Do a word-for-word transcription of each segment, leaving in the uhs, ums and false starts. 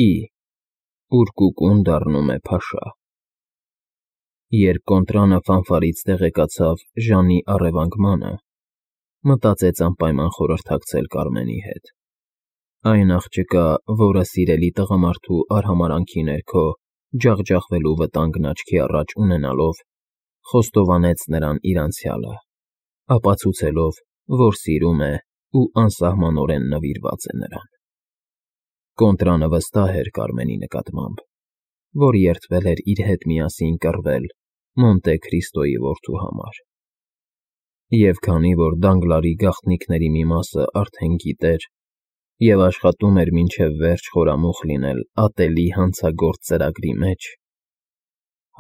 Ի, ուր կուկուն դառնում է փաշա։ Երբ կոնտրանը ֆանֆարից տեղեկացավ Ժանի առևանգմանը, մտածեց անպայման խորհրդակցել Կարմենի հետ. այն աղջկա, որը սիրելի տղամարդու արհամարհանքի ներքո ջախջախվելու վտանգն աչքի առաջ ունենալով, խոստովանեց նրան իր անցյալը, ապացուցելով, որ սիրում է ու անսահմանորեն նվիրված է նրան։ Կոնտրանը վստահ էր Կարմենի նկատմամբ, որ երդվել էր իր հետ միասին կռվել Մոնտե Քրիստոյի որդու համար, և քանի որ Դանգլարի գաղտնիքների մի մասը արդեն գիտեր և աշխատում էր մինչև վերջ խորամուխ լինել ատելի հանցագործ ծրագրի մեջ,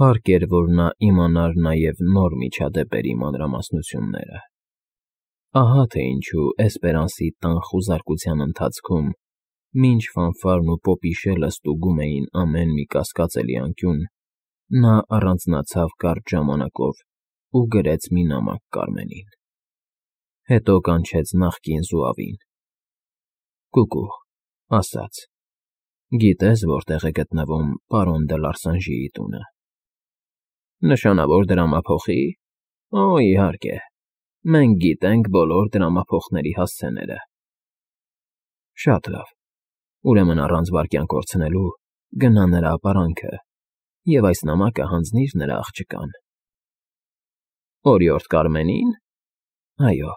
հարկ էր, որ նա իմանար նաև նոր միջադեպերի մանրամասնությունները։ Ահա թե ինչու Էսպերանսի տան խուզարկության ընթացքում, մինչ ֆանֆարն ու պոպիշելը ստուգում էին ամեն մի կասկածելի անկյուն, նա առանձնացավ կարճ ժամանակով ու գրեց մի նամակ Կարմենին։ Հետո կանչեց նախկին զուավին. «Կուկու», ասաց, «գիտե՞ս որտեղ է գտնվում պարոն դը Լարսանժիի տունը»։ «Նշանավոր դրամափոխի՞։ Օ, իհարկե, մենք գիտենք բոլոր դրամափոխների հասցեները»։ «Շատ լավ, ուրեմն առանց վայրկյան կորցնելու գնա նրա ապարանքը և այս նամակը հանձնիր նրա աղջկան»։ «Օրիորդ Կարմենի՞ն»։ «Այո,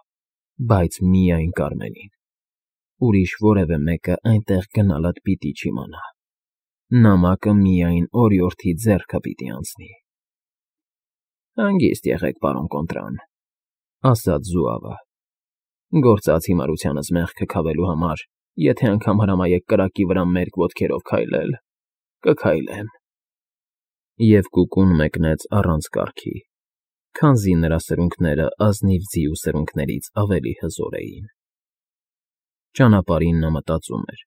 բայց միայն Կարմենին։ Ուրիշ որևէ մեկը այնտեղ գնալդ պիտի չիմանա։ Նամակը միայն օրիորդի ձեռքը պիտի անցնի»։ «Հանգիստ եղեք, պարոն Կոնտրան», ասաց զուավը։ «Գործած հիմարությանս մեղքը քավելու համար եթե անգամ հրամայեք կրակի վրա մերկ ոտքերով քայլել, կքայլեմ»։ Եվ կուկուն մեկնեց առանց կառքի, քանզի նրա սրունքները ազնիվ ձիու սրունքներից ավելի հզոր էին։ Ճանապարհին նա մտածում էր.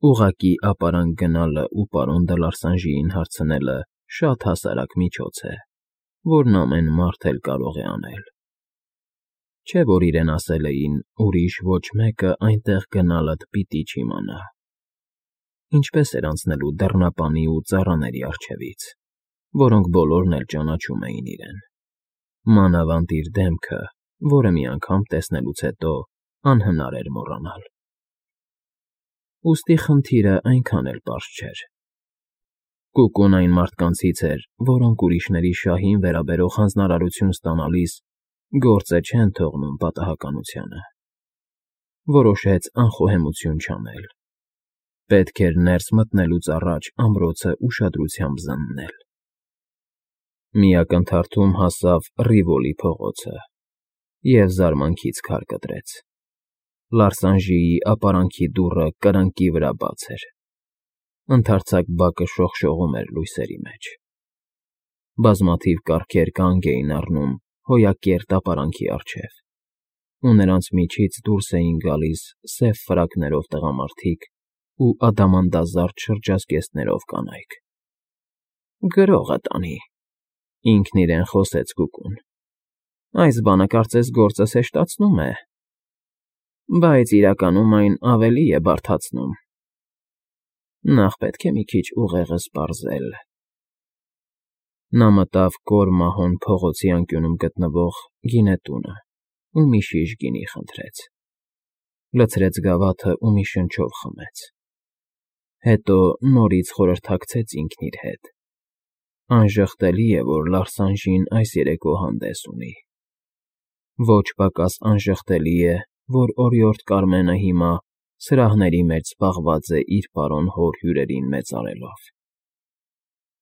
ուղղակի ապարանք գնալը ու պարոն դը Լարսանժիին հարցնելը շատ հասարակ միջոց է, որն ամեն մարդ էլ կարող է անել։ Չէ՞ որ իրեն ասել էին ուրիշ ոչ մեկը այնտեղ գնալդ պիտի չիմանա։ Ինչպես էր անցնելու դռնապանի ու ծառաների առջևից, որոնք բոլորն էլ ճանաչում էին իրեն։ Մանավանդ իր դեմքը, որը մի անգամ տեսնելուց հետո անհնար էր մոռանալ։ Ուստի խնդիրը այնքան էլ պարզ չէր։ Կուկուն այն մարդկանցից էր, որոնք ուրիշների շահին վերաբերող հանձնարարություն ստանալիս գործը չեն թողնում պատահականությանը։ Որոշեց անխոհեմություն չանել։ Պետք էր ներս մտնելուց առաջ ամրոցը ուշադրությամբ զննել։ Մի ակնթարթում հասավ Ռիվոլի փողոցը և զարմանքից քար կտրեց։ Լարսանժիի ապարանքի դուռը կրկնակի վրա բաց էր։ Ընդարձակ բակը շողշողում էր լույսերի մեջ։ Բազմաթիվ կառքեր կանգ էին առնում հոյակերտ ապարանքի առջև, ու նրանց միջից դուրս էին գալիս սև ֆրակներով տղամարդիկ ու ադամանդազարդ շրջազգեստներով կանայք։ «Գրողը տանի», ինքն իրեն խոսեց կուկուն։ «Այս բանը կարծես գործս հեշտացնում է, բայց իրականում այն ավելի է բարդացնում։ Նախ պետք է մի քիչ ուղեղս պարզել»։ Նա մտավ կոր մահոն փողոցի անկյունում գտնվող գինետունը ու մի շիշ գինի խնդրեց։ Լցրեց գավաթը ու մի շնչով խմեց։ Հետո նորից խորհրդակցեց ինքն իր հետ. անժխտելի է, որ Լարսանժին այս երեկո հանդես ունի։ Ոչ պակաս անժխտելի է, որ օրիորդ Կարմենը հիմա սրահների մեջ զբաղված է իր պարոն հոր հյուրերին մեծարելով։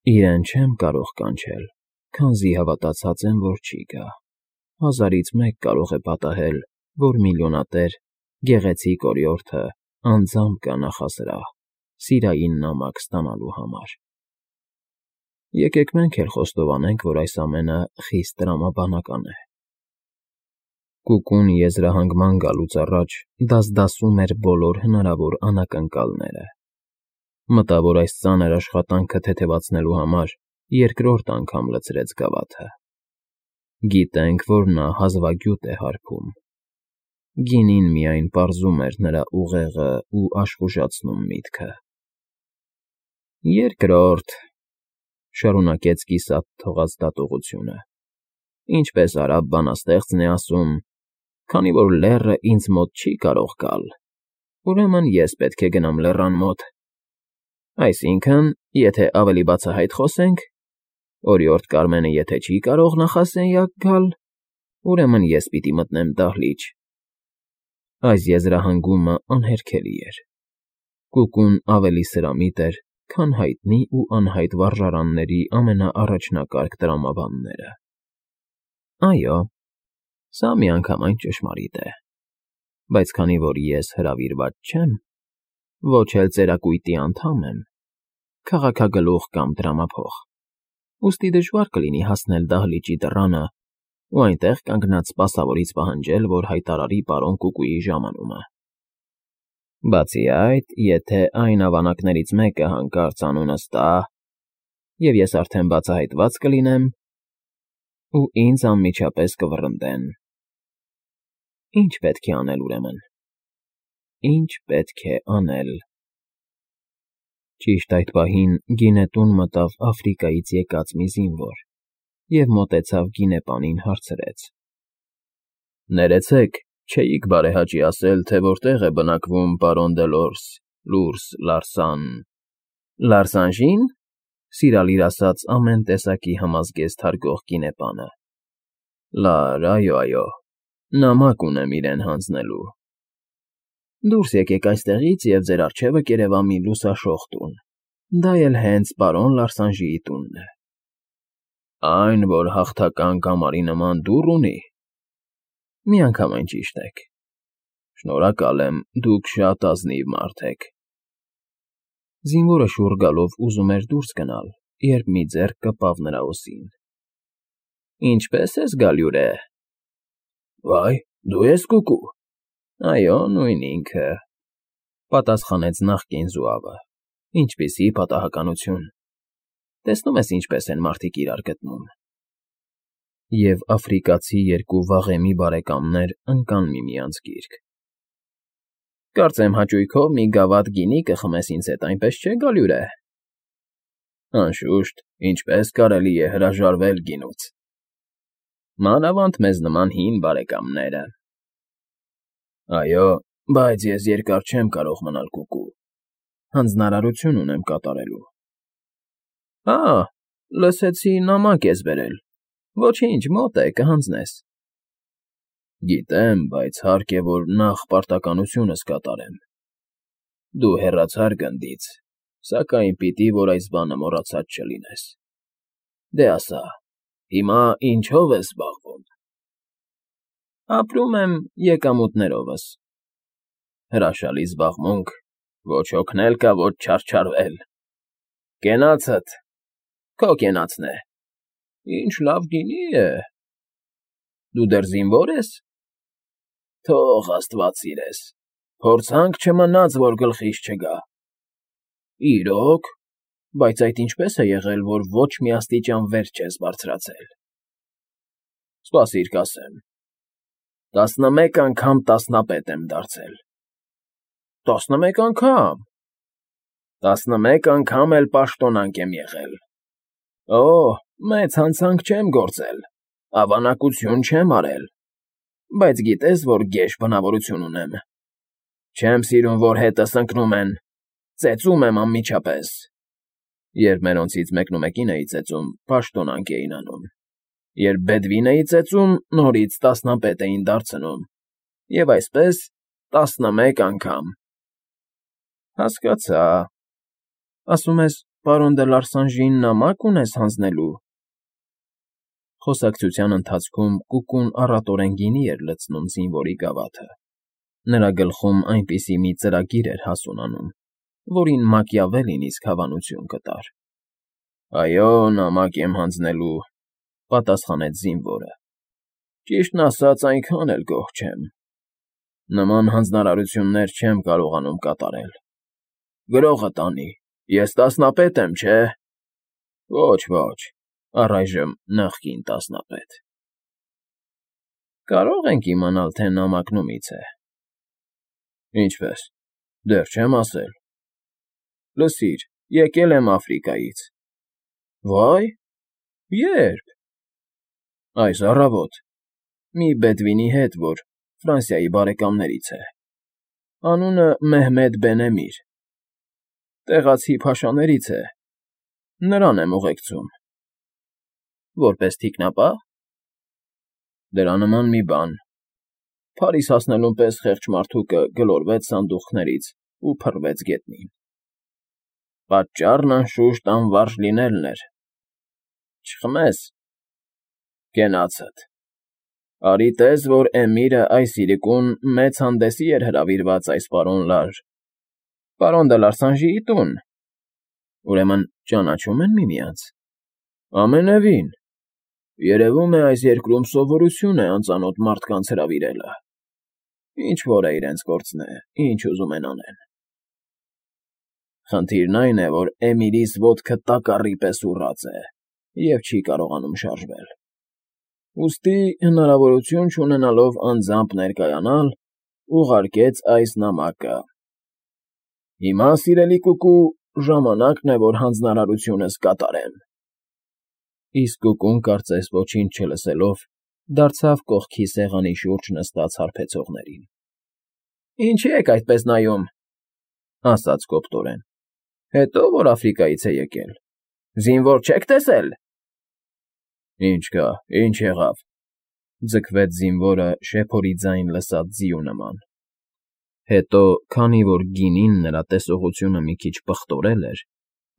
Իրեն չեմ կարող կանչել, քանզի հավատացած եմ, որ չի գա։ Հազարից մեկ կարող է պատահել, որ միլիոնատեր, գեղեցիկ օրիորդը անձամբ գա նախասրահ սիրային նամակ ստանալու համար։ Եկեք մենք էլ խոստովանենք, որ այս ամենը խիստ տրամաբանական է։ Կուկուն եզրահանգման գալուց առաջ դասդասում էր բոլոր հնարավոր անակնկալները։ Մտավ, որ այս ծանր աշխատանքը թեթևացնելու համար երկրորդ անգամ լցրեց գավաթը։ Գիտենք, որ նա հազվագյուտ է հարբում։ Գինին միայն պարզում էր նրա ուղեղն ու աշխուժացնում միտքը։ Երկրորդ, շարունակեց կիսատ թողած դատողությունը, ինչպես արաբ բանաստեղծն է ասում, քանի որ լեռը ինձ մոտ չի կարող գալ, ուրեմն ես պետք է գնամ լեռան մոտ։ Այսինքն, եթե ավելի բացահայտ խոսենք, օրիորդ Կարմենը եթե չի կարող նախասենյակ գալ, ուրեմն ես պիտի մտնեմ դահլիճ։ Այս եզրահանգումը անհերքելի էր։ Կուկուն ավելի սրամիտ էր, քան հայտնի ու անհայտ վարժարանների ամենաառաջնակարգ տրամաբանները։ Այո, սա միանգամայն ճշմարիտ է, բայց քանի որ ես հրավիրված չեմ, ոչ էլ ծերակույտի անդամ եմ, քաղաքագլուխ կամ դրամափող, ուստի դժվար կլինի հասնել դահլիճի դռանը ու այնտեղ կանգնած սպասավորից պահանջել, որ հայտարարի պարոն Կուկուի ժամանումը։ Բացի այդ, եթե այն ավանակներից մեկը հանկարծ անունս տա, և ես արդեն բացահայտված կլինեմ, ու ինձ անմիջապես կվռնդեն։ Ինչ պետք է անել ուրեմն։ Ինչ պետք է անել։ Ճիշտ այդ պահին գինետուն մտավ Աֆրիկայից եկած մի զինվոր և մոտեցավ գինեպանին հարցրեց. Ներեցեք, չէիք բարեհաճի ասել, թե որտեղ է բնակվում պարոն Դելորս, Լուրս, Լարսան… Լարսանժի՞ն, սիրալիր ասած ամեն տեսակի համազգեստ հարգող գինեպանը։ Լար, այո, այո, նամակ ունեմ իրեն հանձնելու։ Դուրս եկեք այստեղից և ձեր առջևը կերևա մի լուսաշող տուն, դա էլ հենց պարոն Լարսանժիի տունն է։ Այն, որ հաղթական կամարի նման դուռ ունի։ Միանգամայն ճիշտ եք։ Շնորհակալ եմ, դուք շատ ազնիվ մարդ եք։ Զինվորը շուռ գալով ուզում էր դուրս գնալ, երբ մի ձեռք կպավ նրա ուսին։ Ինչպե՞ս ես, Գալյուրե։ Վայ, դու ես Կուկու։ Այո, նույն ինքը, պատասխանեց նախկին զուավը։ Ինչպիսի պատահականություն։ Տեսնում ես ինչպես են մարդիկ իրար գտնում։ Եվ աֆրիկացի երկու վաղեմի բարեկամներ ընկան միմյանց գիրկ։ Կարծեմ հաճույքով մի գավաթ գինի կխմես ինձ հետ, այնպես չէ, Գալյուրե։ Անշուշտ, ինչպես կարելի է հրաժարվել գինուց։ Մանավանդ մեզ նման հին բարեկամները։ Այո, բայց ես երկար չեմ կարող մնալ Կուկու, հանձնարարություն ունեմ կատարելու։ Ա, լսեցի նամակ ես բերել, ոչինչ, մոտ է, կհանձնես։ Գիտեմ, բայց հարկ է, որ նախ պարտականությունս կատարեմ։ Դու հեռացար գնդից, սակայն պիտի, որ այս բանը մոռացած չլինես։ Դե ասա, հիմա ինչով ես զբաղվում։ Ապրում եմ եկամուտներովս։ Հրաշալի զբաղմունք, ոչ հոգնել կա, ոչ չարչարվել։ Կենացդ, քո կենացն է։ Ինչ լավ գինի է։ Դու դեռ զինվո՞ր ես։ Թող աստված սիրես, փորձանք չմնաց, որ գլխիս չգա։ Իրոք, բայց այդ ինչպես է եղել, որ ոչ մի աստիճան վեր չես բարձրացել։ Սպասիր կասեմ։ Տասնմեկ անգամ տասնապետ եմ դարձել։ Տասնմեկ անգամ։ Տասնմեկ անգամ էլ պաշտոնանկ եմ եղել։ Օ, մեծ հանցանք չեմ գործել, ավանակություն չեմ արել, բայց գիտես, որ գեշ բնավորություն ունեմ։ Չեմ սիրում, որ հետս ընկնում են, ծեծում եմ անմիջապես։ Երբ մերոնցից մեկնումեկին էի ծեծում, պաշտոնանկ էին անում։ Երբ բեդվին էի ծեծում, նորից տասնապետ էին դարձնում։ Եվ այսպես տասնմեկ անգամ։ Հասկացա։ Ասում ես, պարոն դե Լարսանժին նամակ ունես հանձնելու։ Խոսակցության ընթացքում Կուկուն առատորեն գինի էր լցնում զինվորի գավաթը։ Նրա գլխում այնպիսի մի ծրագիր էր հասունանում, որին Մակիավելին իսկ հավանություն կտար։ Այո, նամակ եմ հանձնելու, պատասխանեց զինվորը։ Ճիշտն ասած, այնքան էլ գոհ չեմ։ Նման հանձնարարություններ չեմ կարողանում կատարել։ Գրողը տանի, ես տասնապետ եմ, չէ։ Ոչ, ոչ, առայժմ նախկին տասնապետ։ Կարող ենք իմանալ, թե նամակն ումից է։ Ինչպես, դեռ չեմ ասել։ Լսիր, Եկել եմ Աֆրիկայից։ Վայ, ե՞րբ։ Այս առավոտ, մի բեդվինի հետ, որ Ֆրանսիայի բարեկամներից է։ Անունը Մեհմեդ Բեն֊Էմիր։ Տեղացի փաշաներից է, նրան եմ ուղեկցում։ Որպես թիկնապա՞ղ։ Դրա նման մի բան։ Փարիզ հասնելուն պես խեղճ մարդուկը գլորվեց սանդուղքներից ու փռվեց գետնին։ Պատճառն անշուշտ անվարժ լինելն էր։ Չխմես։ Կենացդ։ Արի տես, որ Էմիրը այս իրիկուն մեծ հանդեսի էր հրավիրված այս պարոն Լաժ, պարոն դե Լարսանժիի տուն։ Ուրեմն ճանաչում են միմյանց։ Ամենևին։ Երևում է, այս երկրում սովորություն է անծանոթ մարդկանց հրավիրելը։ Ինչ֊որ է իրենց գործն է, ինչ ուզում են անեն։ Խնդիրն այն է, որ Էմիրիս ոտքը տակառի պես ուռած է և չի կարողանում շարժվել։ Ուստի, հնարավորություն չունենալով անձամբ ներկայանալ, ուղարկեց այս նամակը։ Հիմա, սիրելի կուկու, ժամանակն է, որ հանձնարարությունս կատարեմ։ Իսկ կուկուն, կարծես ոչինչ չլսելով, դարձավ կողքի սեղանի շուրջ նստած հարբեցողներին։ ֊ Ինչի եք այդպես նայում,֊ ասաց կոպտորեն,֊ հետո որ Աֆրիկայից է եկել, զինվոր չեք տեսել։ ֊ Ինչ կա, ինչ եղավ,֊ ձգվեց զինվորը շեփորի ձայն լսած ձիու նման։ Հետո, քանի որ գինին նրա տեսողությունը մի քիչ պղտորել էր,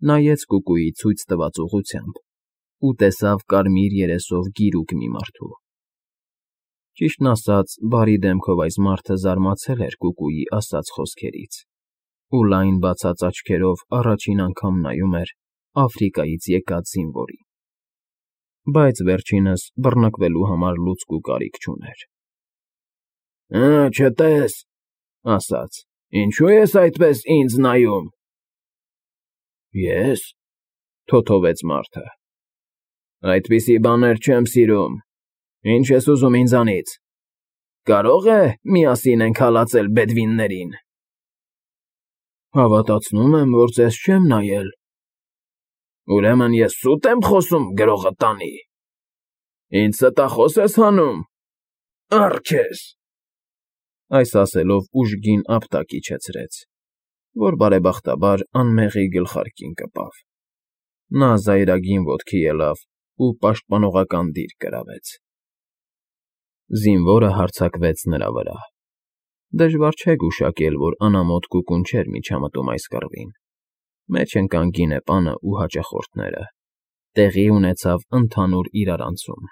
նայեց կուկուի ցույց տված ուղղությամբ ու տեսավ կարմիր երեսով գիրուկ մի մարդու։ Ճիշտն ասած, բարի դեմքով այս մարդը զարմացել էր կուկուի ասած խոսքերից ու լայն բացած աչքերով առաջին անգամ նայում էր Աֆրիկայից եկած զինվորին։ Բայց վերջինս բռնկվելու համար լուցկ ու կարիք չուներ։ ֊ Հը, չտես,֊ ասաց,֊ ինչո՞ւ ես այդպես ինձ նայում։ ֊ Ե՞ս,֊ թոթովեց մարդը,֊ այդպիսի բաներ չեմ սիրում։ Ինչ ես ուզում ինձանից։ Կարո՞ղ է միասին ենք հալածել բեդվիններին։ ֊ Հավատացնում եմ, որ ձեզ չեմ նայել։ ֊ Ուրեմն ես սուտ եմ խոսում գրողը տանի։ Ինձ ստախո՞ս ես հանում։ Առ քեզ… Այս ասելով ուժգին ապտակ իջեցրեց, որ բարեբախտաբար անմեղի գլխարկին կպավ։ Նա զայրագին ոտքի ելավ ու պաշտպանողական դիրք կրավեց։ Զինվորը հարձակվեց նրա վրա։ Դժվար չէ գուշակել, որ անամոթ կուկուն չէր միջամտում այս կռվին։ Մեջ ընկան գինեպանը ու հաճախորդները։ Տեղի ունեցավ ընդհանուր իրարանցում։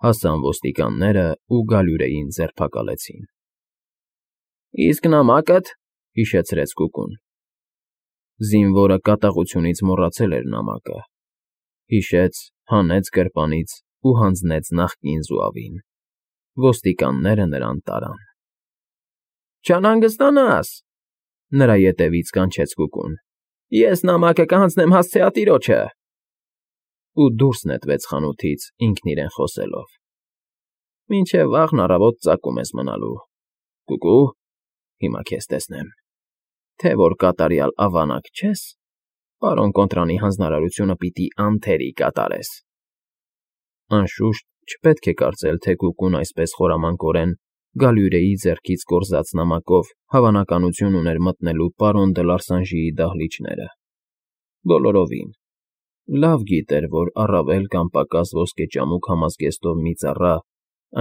Հասան ոստիկանները ու Գալյուրեին ձերբակալեցին։ ֊ Իսկ նամակդ,֊ հիշեցրեց կուկուն։ Զինվորը կատաղությունից մոռացել էր նամակը։ Հիշեց, հանեց գրպանից ու հանձնեց նախկին զուավին։ Ոստիկանները նրան տարան։ ֊ Չանհանգստանաս,֊ նրա ետևից կանչեց կուկուն,֊ ես նամակը կհանձնեմ հասցեատիրոջը։ Ու դուրս նետվեց խանութից, ինքն իրեն խոսելով. Մինչև վաղն առավոտ ծակում ես մնալու, կուկու, հիմա քեզ տեսնեմ, թե որ կատարյալ ավանակ չես, պարոն Կոնտրանի հանձնարարությունը պիտի անթերի կատարես։ Անշուշտ, չպետք է կարծել, թե կուկուն այսպես խորամանկորեն Գալյուրեի ձեռքից կորզած նամակով հավանականություն ուներ մտնելու պարոն դե Լարսանժիի դահլիճները։ Բոլորովին։ Լավ գիտեր, որ առավել կամ պակաս ոսկեճամուկ համազգեստով մի ծառա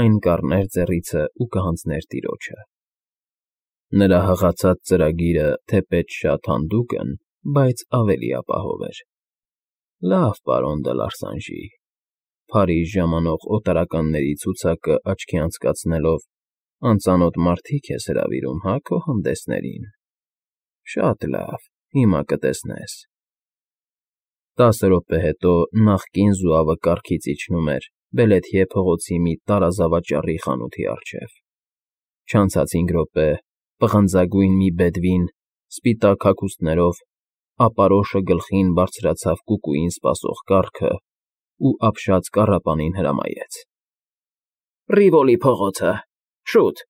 այն կառներ ձեռիցը ու կհանձներ տիրոջը։ Նրա հղացած ծրագիրը թեպետ շատ հանդուգն, բայց ավելի ապահով էր։ Լավ, պարոն դե Լարսանժի, Փարիզ ժամանող օտարականների ցուցակը աչքի անցկացնելով, անծանոթ մարդիկ ես հրավիրում, հա, քո հանդեսներին։ Շատ լավ, հիմա կտեսնես։ Տասը րոպե հետո նախկին զուավը կառքից իջնում էր Բելեթիե փողոցի մի տարազավաճառի խանութի առջև։ Չանցած հինգ րոպե, պղնձագույն մի բեդվին, սպիտակ հագուստներով, ապարոշը գլխին բարձրացավ կուկուին սպասող կառքը ու ապշած կառապանին հրամայեց. ֊ Ռիվոլի փողոցը, շուտ։